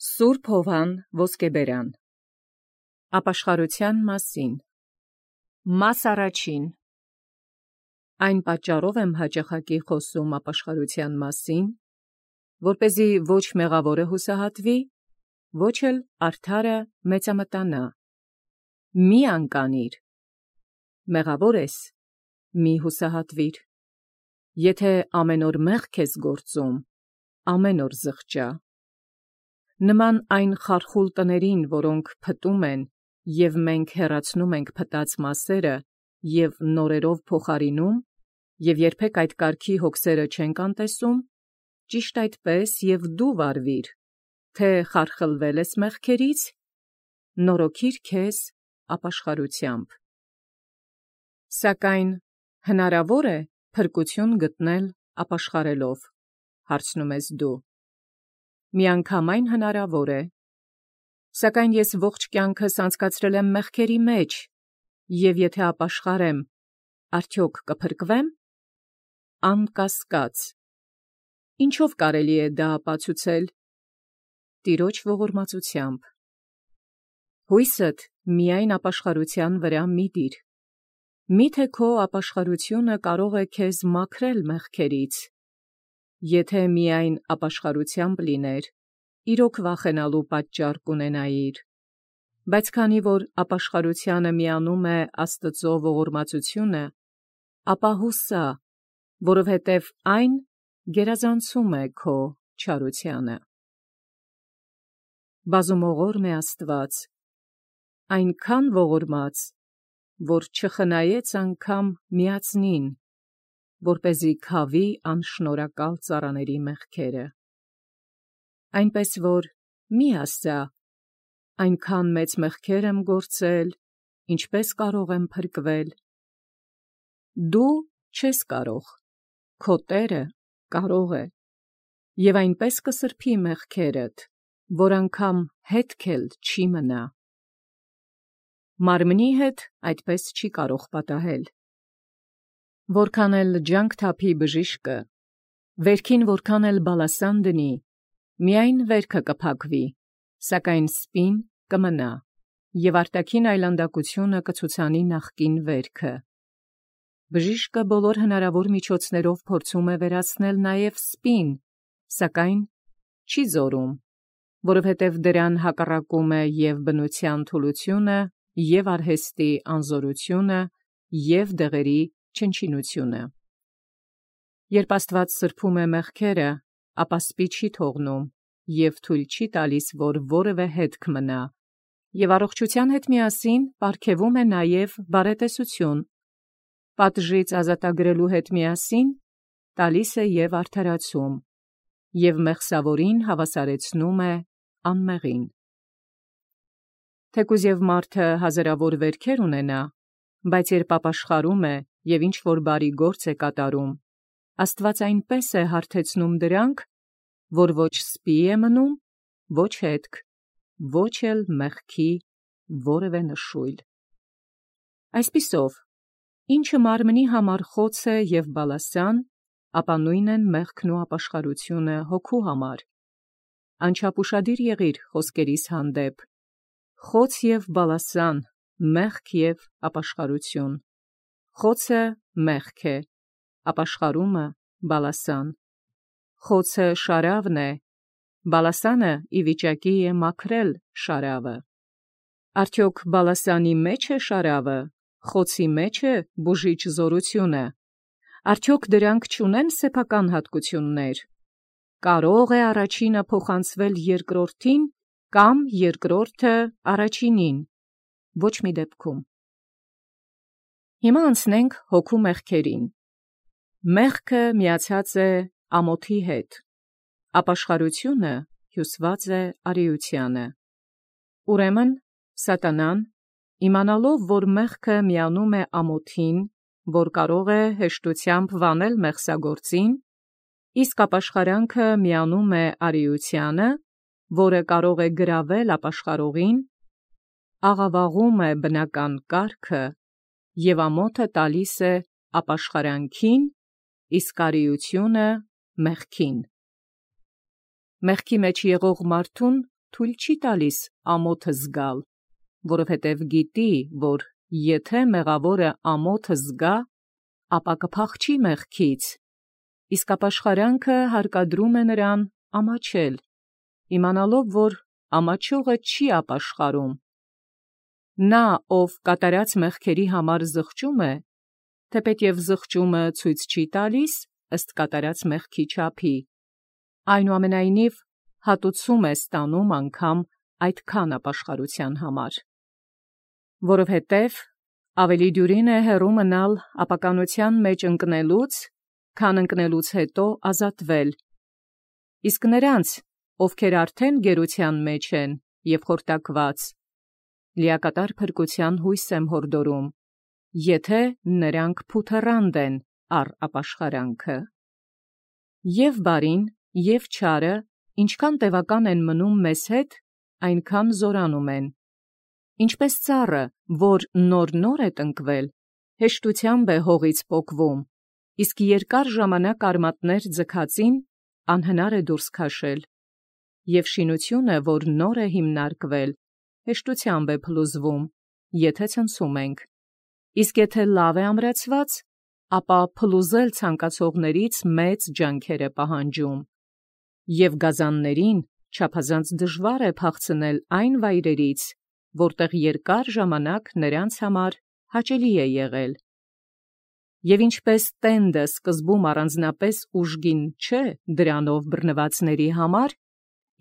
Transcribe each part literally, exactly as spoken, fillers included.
Սուրբ Հովհան Ոսկեբերան Ապաշխարութեան մասին Մաս առաջին Այն պատճառով եմ հաճախակի խոսում ապաշխարութեան մասին, որպեսզի ոչ մեղավորը հուսահատվի, ոչ էլ արդարը մեծամտանա։ Մի անկանիր, մեղավոր ես, մի հուսահատվիր, եթե ամեն օր մեղք ես գործում, ամեն օր զղջա։ Նման այն խարխուլ տներին, որոնք փտում են, և մենք հեռացնում ենք փտած մասերը և նորերով փոխարինում, և երբեք այդ կարգի հոգսերը չենք անտեսում, ճիշտ այդպես և դու վարվիր, թե խարխլվել ես մեղքերից, նորոգիր քեզ ապաշխարությամբ։ Սակայն հնարավոր է փրկություն գտնել ապաշխարելով, հարցնում ես դու։ Միանգամայն հնարավոր է, սակայն ես ողջ կյանքս անցկացրել եմ մեղքերի մեջ, և եթե ապաշխարեմ, արդյոք կփրկվեմ։ Անկասկած։ Ինչով կարելի է դա ապացուցել։ Տիրոջ ողորմածությամբ։ Հույսդ միայն ապաշխարության վրա մի դիր։ Միթե քո ապաշխարությունը կարող է քեզ մաքրել մեղքերից։ Եթե միայն ապաշխարությամբ լիներ, իրոք վախենալու պատճառ կունենայիր։ Բայց քանի որ ապաշխարությանը միանում է Աստծո ողորմածությունը, ապա հուսա, որովհետև այն գերազանցում է քո չարությանը։ Բազումողորմ է Աստված, այնքան ողորմած, որ չխնայեց անգամ միածնին, որպեսզի քավի անշնորհակալ ծառաների մեղքերը։ Այնպես որ մի ասա, այնքան մեծ մեղքեր եմ գործել, ինչպե՞ս կարող եմ փրկվել։ Դու չես կարող, քո Տերը կարող է, և այնպես կսրբի մեղքերդ, որ անգամ հետք էլ չի մնա։ Մարմնի հետ այդպես չի կարող պատահել։ Որքան էլ ջանք թափի բժիշկը, վերքին որքան էլ բալասան դնի, միայն վերքը կփակվի, սակայն սպին կմնա, և արտաքին այլանդակությունը կցուցանի նախկին վերքը։ Բժիշկը բոլոր հնարավոր միջոցներով փորձում է վերացնել նաև սպին, սակայն չի զորում, որովհետև դրան հակառակում է և բնության թուլությունը, և արհեստի անզորությունը, և դեղերի չնչինությունը։ Երբ Աստված սրբում է մեղքերը, ապա սպի չի թողնում և թույլ չի տալիս, որ որևէ հետք մնա, և առողջության հետ միասին պարգևում է նաև բարետեսություն, պատժից ազատագրելու հետ միասին տալիս է և արդարացում, և մեղսավորին հավասարեցնում է անմեղին։ Թեկուզ և մարդը հազարավոր վերքեր ունենա, բայց երբ ապաշխարում է և ինչ-որ բարի գործ է կատարում, Աստված այնպես է հարթեցնում դրանք, որ ոչ սպի է մնում, ոչ հետք, ոչ էլ մեղքի որևէ նշույլ։ Այսպիսով, ինչը մարմնի համար խոց է և բալասան, ապա նույն են մեղքն ու ապաշխարությունը հոգու համար։ Անչափ ուշադիր եղիր խոսքերիս հանդեպ. խոց և բալասան, մեղք և ապաշխարություն։ Խոցը մեղք է, ապաշխարումը բալասան։ Խոցը շարավն է, բալասանը ի վիճակի է մաքրել շարավը։ Արդյոք բալասանի մեջ է շարավը, խոցի մեջ է բուժիչ զորությունը։ Արդյոք դրանք չունեն սեփական հատկություններ։ Կարո՞ղ է առաջինը փոխանցվել երկրորդին, կամ երկրորդը առաջինին։ Ոչ մի դեպքում։ Հիմա անցնենք հոգու մեղքերին։ Մեղքը միացած է ամոթի հետ, ապաշխարությունը հյուսված է արիությանը։ Ուրեմն սատանան, իմանալով, որ մեղքը միանում է ամոթին, որ կարող է հեշտությամբ վանել մեղսագործին, իսկ ապաշխարանքը միանում է արիությանը, որը կարող է գրավել ապաշխարողին, աղավաղում է բնական կարգը և ամոթը տալիս է ապաշխարանքին, իսկ արիությունը մեղքին։ Մեղքի մեջ եղող մարդուն թույլ չի տալիս ամոթը զգալ, որովհետև գիտի, որ եթե մեղավորը ամոթը զգա, ապա կփախչի մեղքից, իսկ ապաշխարանքը հարկադրում է նրան ամաչել, իմանալով, որ ամաչողը չի ապաշխարում։ Նա, ով կատարած մեղքերի համար զղջում է, թեպետև զղջումը ցույց չի տալիս ըստ կատարած մեղքի չափի, այնուամենայնիվ հատուցում է ստանում անգամ այդքան ապաշխարության համար։ Որովհետև ավելի դյուրին է հեռու մնալ ապականության մեջ ընկնելուց, քան ընկնելուց հետո ազատվել, իսկ նրանց, ովքեր արդեն գերության մեջ են և խորտակված, լիակատար փրկության հույս եմ հորդորում, եթե նրանք փութեռանդ են առ ապաշխարանքը։ Եվ բարին, և չարը, ինչքան տևական են մնում մեզ հետ, այնքան զորանում են։ Ինչպես ծառը, որ նոր-նոր է տնկվել, հեշտությամբ է հողից պոկվում, իսկ երկար ժամանակ արմատներ ձգածին անհնար է դուրս քաշել, և շինությունը, որ նոր է հիմնարկվել, հեշտությամբ է փլուզվում, եթե ցնցում ենք, իսկ եթե լավ է ամրացված, ապա փլուզել ցանկացողներից մեծ ջանքեր է պահանջում, և գազաններին չափազանց դժվար է փախցնել այն վայրերից, որտեղ երկար ժամանակ նրանց համար հաճելի է եղել։ Եվ ինչպես տենդը սկզբում առանձնապես ուժգին չէ դրանով բռնվածների համար,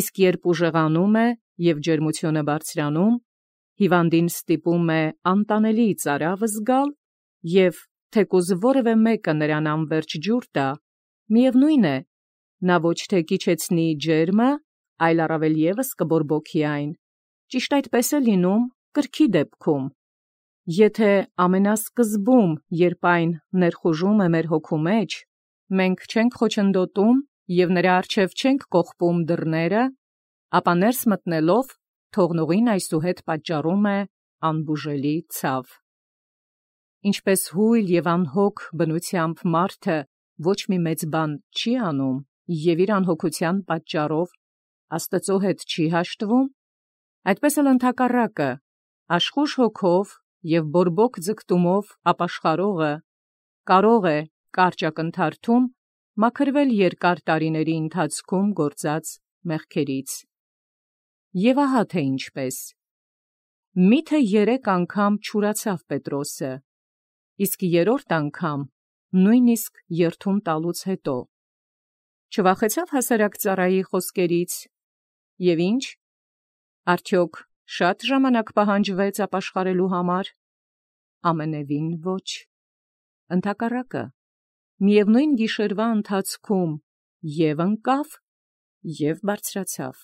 իսկ երբ ուժեղանում է և ջերմությունը բարձրանում, հիվանդին ստիպում է անտանելի ծարավ զգալ, և թեկուզ որևէ մեկը նրան անվերջ ջուր տա, միևնույն է, նա ոչ թե կիջեցնի ջերմը, այլ առավել ևս կբորբոքի այն, ճիշտ այդպես է լինում կրքի դեպքում։ Եթե ամենասկզբում, երբ այն ներխուժում է մեր հոգու մեջ, մենք չենք խոչընդոտում և նրա առջև չենք կողպում դռները, ապա ներս մտնելով թողնողին այսուհետ պատճառում է անբուժելի ցավ։ Ինչպես հույլ և անհոգ բնությամբ մարդը ոչ մի մեծ բան չի անում և իր անհոգության պատճառով Աստծո հետ չի հաշտվում, այդպես էլ ընդհակառակը, աշխույժ հոգով և բորբոք ձգտումով ապաշխարողը կարող է կարճ ակնթարթում մաքրվել երկար տարիների ընթացքում գործած մեղքերից։ Եվ ահա թե ինչպես. միթե երեք անգամ չուրացավ Պետրոսը, իսկ երրորդ անգամ նույնիսկ երդում տալուց հետո չվախեցավ հասարակ ծառայի խոսքերից, և ինչ, արդյոք շատ ժամանակ պահանջվեց ապաշխարելու համար։ Ամենևին ոչ, ընդհակառակը, միևնույն գիշերվա ընթացքում և ընկավ, և բարձրացավ։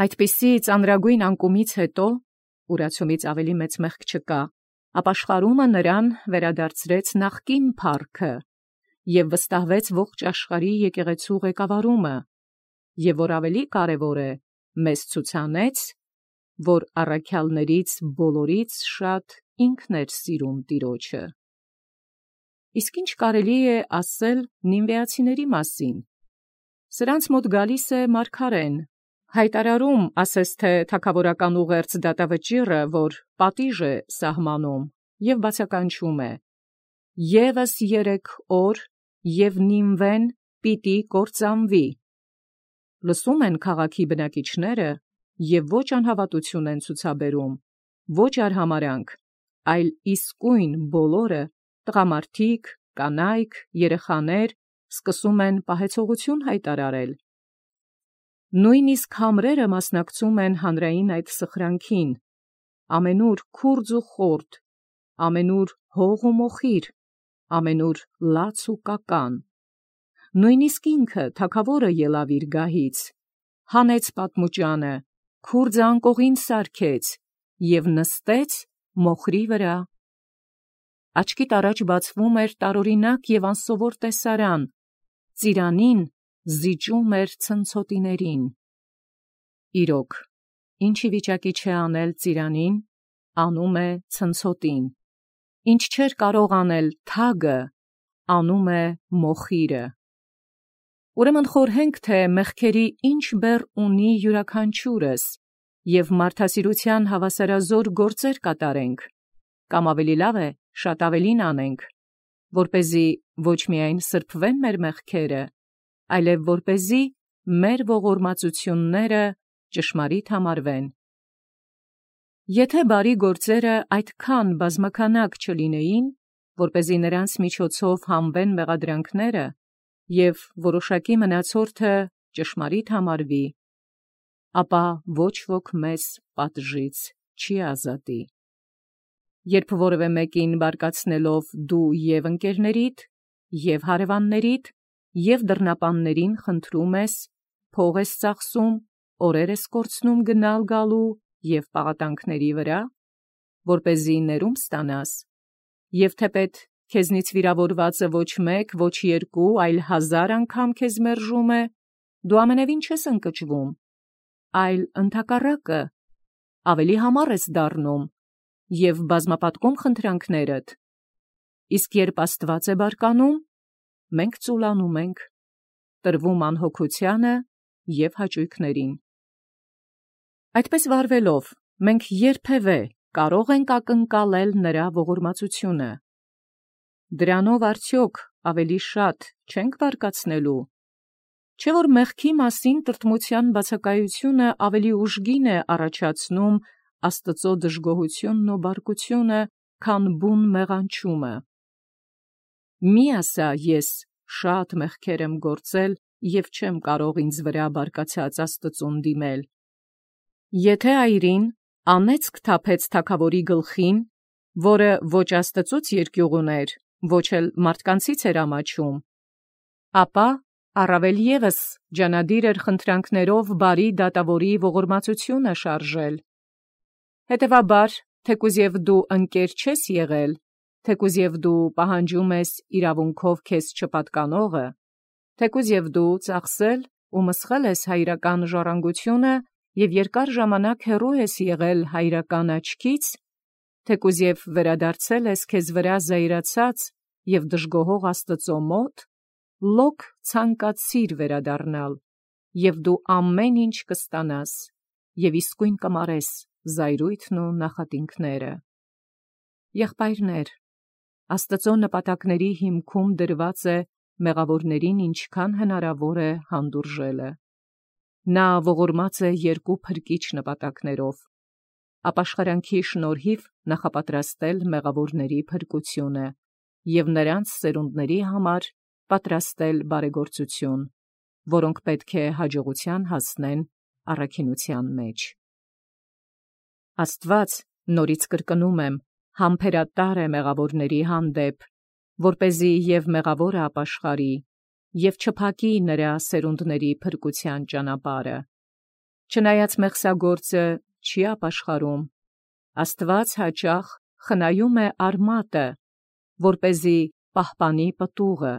Այդպիսի ծանրագույն անկումից հետո, ուրացումից ավելի մեծ մեղք չկա, ապաշխարումը նրան վերադարձրեց նախկին փառքը և վստահվեց ողջ աշխարհի եկեղեցու ղեկավարումը, և որ ավելի կարևոր է, մեզ ցուցանեց, որ առաքյալներից բոլորից շատ ինքն էր սիրում Տիրոջը։ Իսկ ինչ կարելի է ասել նինվեացիների մասին։ Սրանց մոտ գալիս է մարգարեն, հայտարարում, ասես թե թագավորական ուղերձ դատավճիռը, որ պատիժ է սահմանում, և բացականչում է. «ԵՒս երեք օր, և Նինվեն պիտի կործանվի»։ Լսում են քաղաքի բնակիչները և ոչ անհավատություն են ցուցաբերում, ոչ արհամարհանք, այլ իսկույն բոլորը, տղամարդիկ, կանայք, երեխաներ, սկսում են պահեցողություն հայտարարել։ Նույնիսկ համրերը մասնակցում են հանրային այդ սխրանքին, ամենուր քուրձ ու խորտ, ամենուր հող ու մոխիր, ամենուր լաց ու կական։ Նույնիսկ ինքը թագավորը ելավ իր գահից, հանեց պատմուճանը, քուրձը անկողին սարքեց և նստեց մոխրի վրա։ Աչքիդ առաջ բացվում էր տարօրինակ և անսովոր տեսարան, ծիրանին զիջում էր ցնցոտիներին։ Իրոք, ինչ ի վիճակի չէ անել ծիրանին, անում է ցնցոտին, ինչ չէր կարող անել թագը, անում է մոխիրը։ Ուրեմն խորհենք, թե մեղքերի ինչ բեռ ունի յուրաքանչյուրս, և մարդասիրության հավասարազոր գործեր կատարենք, կամ ավելի լավ է, շատ ավելին անենք, որպեսզի ոչ միայն սրբվեն մեր մեղքերը, այլև որպեսզի մեր ողորմածությունները ճշմարիտ համարվեն։ Եթե բարի գործերը այդքան բազմականակ չլինեին, որպեսզի նրանց միջոցով հանվեն մեղադրանքները, և որոշակի մնացորդը ճշմարիտ համարվի, ապա ոչ ոք մեզ պատժից չի ազատի։ Երբ որևէ մեկին բարկացնելով դու և ընկերներիդ, և հարևաններիդ, և դռնապաններին խնդրում ես, փող ես ծախսում, օրեր ես կորցնում գնալ գալու և պաղատանքների վրա, որպեսզի ներում ստանաս, և թեպետ քեզնից վիրավորվածը ոչ մեկ, ոչ երկու, այլ հազար անգամ քեզ մերժում է, դու ամենևին չես ընկճվում, այլ ընդհակառակը, ավելի համառ ես դառնում և բազմապատկում խնդրանքներդ, իսկ երբ Աստված է բարկանում, մենք ծուլանում ենք, տրվում անհոգությանը և հաճույքներին։ Այդպես վարվելով, մենք երբևէ կարող ենք ակնկալել նրա ողորմածությունը։ Դրանով արդյոք ավելի շատ չենք բարկացնելու, չէ՞ որ մեղքի մասին տրտմության բացակայությունը ավելի ուժգին է առաջացնում Աստծո դժգոհությունն ու բարկությունը, քան բուն մեղանչումը։ Մի ասա ես շատ մեղքեր եմ գործել և չեմ կարող ինձ վրա բարկացած Աստծուն դիմել։ Եթե այրին անեծք թափեց թագավորի գլխին, որը ոչ Աստծուց երկյուղ ուներ, ոչ էլ մարդկանցից էր ամաչում, ապա առավել ևս ջանադիր էր խնդրանքներով բարի դատավորի ողորմածությունը շարժել։ Հետևաբար, թեկուզ և դու ընկեր չես եղել, թեկուզ և դու պահանջում ես իրավունքով քեզ չպատկանողը, թեկուզ և դու ծախսել ու մսխել ես հայրական ժառանգությունը և երկար ժամանակ հեռու ես եղել հայրական աչքից, թեկուզ և վերադարձել ես քեզ վրա զայրացած և դժգոհող Աստծո մոտ, լոկ ցանկացիր վերադառնալ, և դու ամեն ինչ կստանաս, և իսկույն կմարես զայրույթն ու նախատինքները։ Եղբայրներ, Աստծո նպատակների հիմքում դրված է մեղավորներին ինչքան հնարավոր է հանդուրժելը։ Նա ողորմած է երկու փրկիչ նպատակներով. ապաշխարանքի շնորհիվ նախապատրաստել մեղավորների փրկությունը և նրանց սերունդների համար պատրաստել բարեգործություն, որոնք պետք է հաջողության հասնեն առաքինության մեջ։ Աստված, նորից կրկնում եմ, համբերատար է մեղավորների հանդեպ, որպեսզի և մեղավորը ապաշխարի, և չփակի նրա սերունդների փրկության ճանապարհը։ Չնայած մեղսագործը չի ապաշխարում, Աստված հաճախ խնայում է արմատը, որպեսզի պահպանի պտուղը,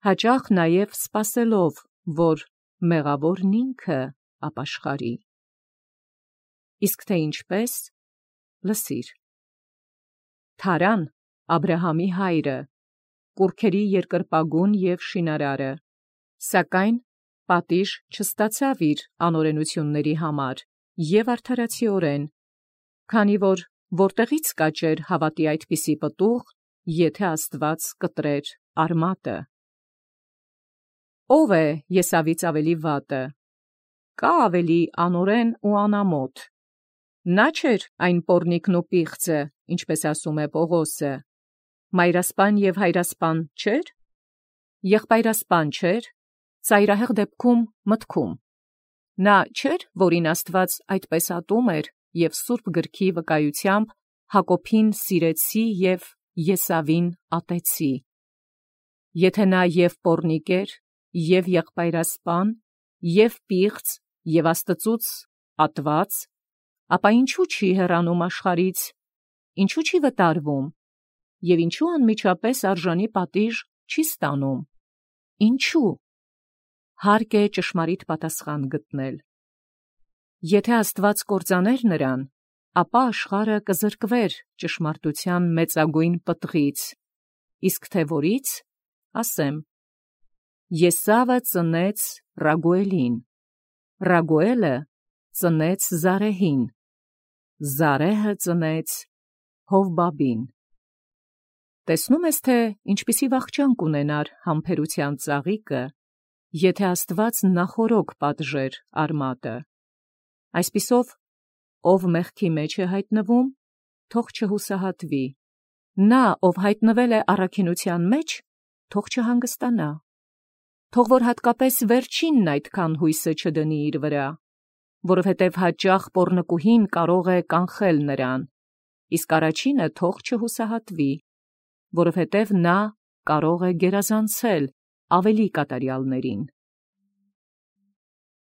հաճախ նաև սպասելով, որ մեղավորն ինքը ապաշխարի։ Իսկ թե ինչպես, լսիր. Թարան, Աբրահամի հայրը, կուռքերի երկրպագուն և շինարարը, սակայն պատիժ չստացավ իր անօրենությունների համար և արդարացիորեն, քանի որ որտեղի՞ց կաճեր հավատի այդպիսի պտուղ, եթե Աստված կտրեր արմատը։ Ո՞վ է Եսավից ավելի վատը, կա՞ ավելի անօրեն ու անամոթ։ Նա չէր այն պոռնիկն ու պիղծը, ինչպես ասում է Պողոսը, մայրասպան և հայրասպան չէր, եղբայրասպան չէր, ծայրահեղ դեպքում մտքում։ Նա չէր, որին Աստված այդպես ատում էր և սուրբ գրքի վկայությամբ Հակոբին սիրեցի և Եսավին ատեցի։ Եթե նա և պոռնիկ էր, և եղբայրասպան, և պիղծ, և Աստծուց ատված, ապա ինչու չի հեռանում աշխարհից, ինչու չի վտարվում, և ինչու անմիջապես արժանի պատիժ չի ստանում, ինչու՞։ Հարկ է ճշմարիտ պատասխան գտնել։ Եթե Աստված կործաներ նրան, ապա աշխարհը կզրկվեր ճշմարտության մեծագույն պտղից, իսկ թե որից, ասեմ. Եսավը ծնեց Ռագուելին, Ռագուելը ծնեց Զարեհին, Զարեհը ծնեց Հովբաբին։ Տեսնում ես, թե ինչպիսի վախճան կունենար համբերության ծաղիկը, եթե Աստված նախորոք պատժեր արմատը։ Այսպիսով, ով մեղքի մեջ է հայտնվում, թող չհուսահատվի, նա, ով հայտնվել է առաքինության մեջ, թող չհանգստանա, թող որ հատկապես վերջինն այդքան հույսը չդնի իր վրա, որովհետև հաճախ պոռնկուհին կարող է կանխել նրան, իսկ առաջինը թող չհուսահատվի, որովհետև նա կարող է գերազանցել ավելի կատարյալներին։